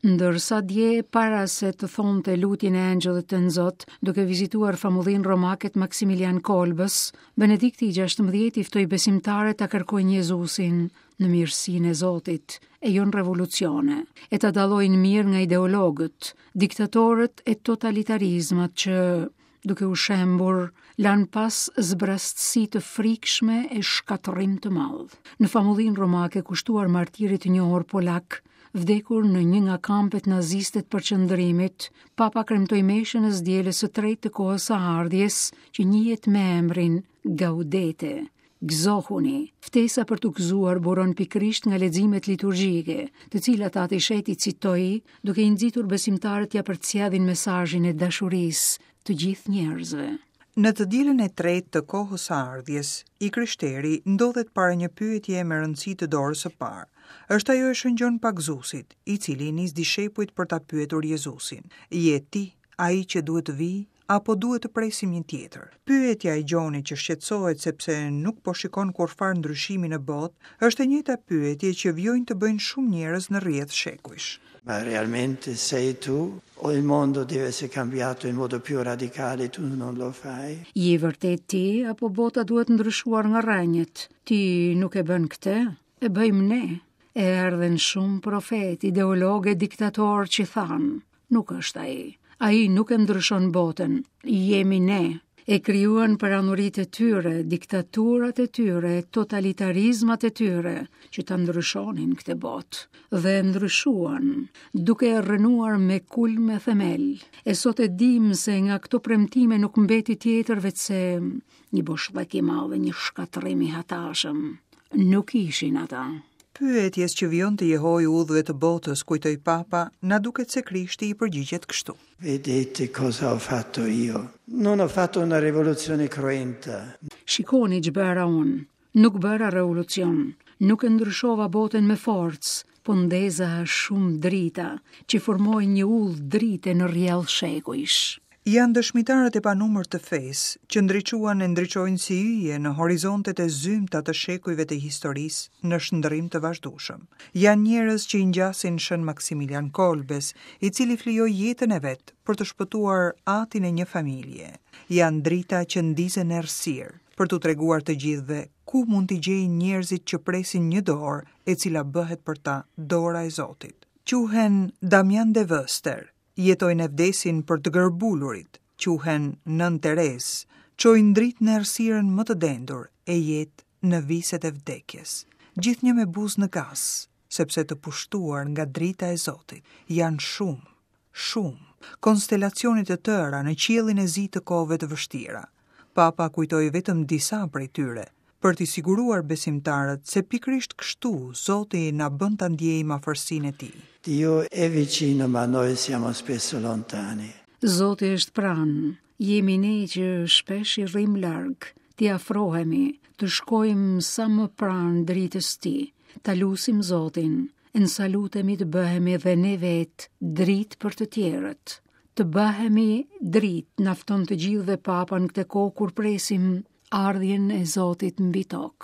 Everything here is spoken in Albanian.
Ndërsa dje, para se të thonte lutjen e Engjëllit Tënzot, duke vizituar famullinë romake të Maksimilian Kolbës, Benedikti i 16 i ftoi besimtarët ta kërkojnë Jezusin në mirësinë e Zotit, e jo në revolucione, e ta dallojnë mirë nga ideologët, diktatorët e totalitarizmat që duke u shembur, lanë pas zbrastësi të frikshme e shkatërrim të madh. Në famullinë romake kushtuar martirit të njohur polak, vdekur në një nga kampet naziste të përqendrimit, Papa kremtoi meshën e së dielës së tretë të kohës së ardhjes, që njihet me emrin Gaudete. Gëzohuni! Ftesa për t'u gëzuar buron pikërisht nga leximet liturgjike, të cilat Ati i Shenjtë i citoi, duke i nxitur besimtarët t'ia përcjellin mesazhin e dashurisë të gjithë njerëzve. Në të dielën e tretë të kohës së ardhjes, i krishteri ndodhet para një pyetjeje me rëndësi të dorës së parë. Është ajo e Shën Gjon Pagëzuesit, i cili i nis dishepujt për ta pyetur Jezusin, Je ti ai që duhet të vijë apo duhet të presim një tjetër? Pyetja e Gjonit që shqetësohet sepse nuk po shikon kurrfarë ndryshimi në botë, është e njëjta pyetje që vijojnë të bëjnë shumë njerëz në rrjedhë shekujsh. Ma realmente sei tu o il mondo deve essere cambiato in modo più radicale tu non lo fai? Je vërtet ti apo bota duhet ndryshuar nga rrënjët? Ti nuk e bën këtë? E bëjmë ne. E erdhën shumë profetë, ideologë e diktatorë që thanë, Nuk është ai. Ai nuk e ndryshon botën. Jemi ne. E krijuan perandoritë e tyre, diktaturat e tyre, totalitarizmat e tyre, që ta ndryshonin këtë botë. Dhe e ndryshuan, duke e rrënuar me kulm e themel. E sot e dimë se nga këto premtime nuk mbeti tjetër veçse një boshllëk i madh dhe një shkatërrim i hatashëm. Nuk ishin ata. Pyetjes që vijon të jehojë udhëve të botës, kujtoi Papa, na duket se Krishti i përgjigjet kështu. Vedete cosa ho fatto io. Non ho fatto una rivoluzione cruenta. Shikoni ç'bëra unë. Nuk bëra revolucion, nuk e ndryshova botën me forcë, po ndeza shumë drita, që formojnë një udhë drite në rrjedhë shekujsh. Janë dëshmitarët e panumërt të fesë, që ndriçuan e ndriçojnë si yje në horizontet e zymta të shekujve të historisë në shndërrim të vazhdueshëm. Janë njerëz që i ngjasin Shën Maksimilian Kolbes, i cili flijoi jetën e vet për të shpëtuar atin e një familje. Janë drita që ndizen në errësirë, për t'u treguar të gjithëve ku mund t'i gjejnë njerëzit që presin një dorë e cila bëhet për ta dora e Zotit. Quhen Damian de Veuster, jetojnë e vdesin për të gërbulurit, quhen Nënë Terezë, çojnë dritë në errësirën më të dendur e jetë në viset e vdekjes. Gjithnjë me buzë në gaz, sepse të pushtuar nga drita e Zotit, janë shumë, shumë, konstelacione të tëra në qiellin e zi të kohëve të vështira. Papa kujtoi vetëm disa prej tyre, për t'i siguruar besimtarët se pikërisht kështu Zoti na bën ta ndjejmë afërsinë e tij. Dio è vicino, ma noi siamo spesso lontani. Zoti është pranë, jemi ne që shpesh i rrimë larg, t'i afrohemi, të shkojmë sa më pranë dritës tij, ta lusim Zotin, e nësa lutemi të bëhemi dhe ne vetë dritë për të tjerët. Të bëhemi dritë, na fton të gjithëve Papa në këtë kohë kur presim ardhjen e Zotit mbi tokë.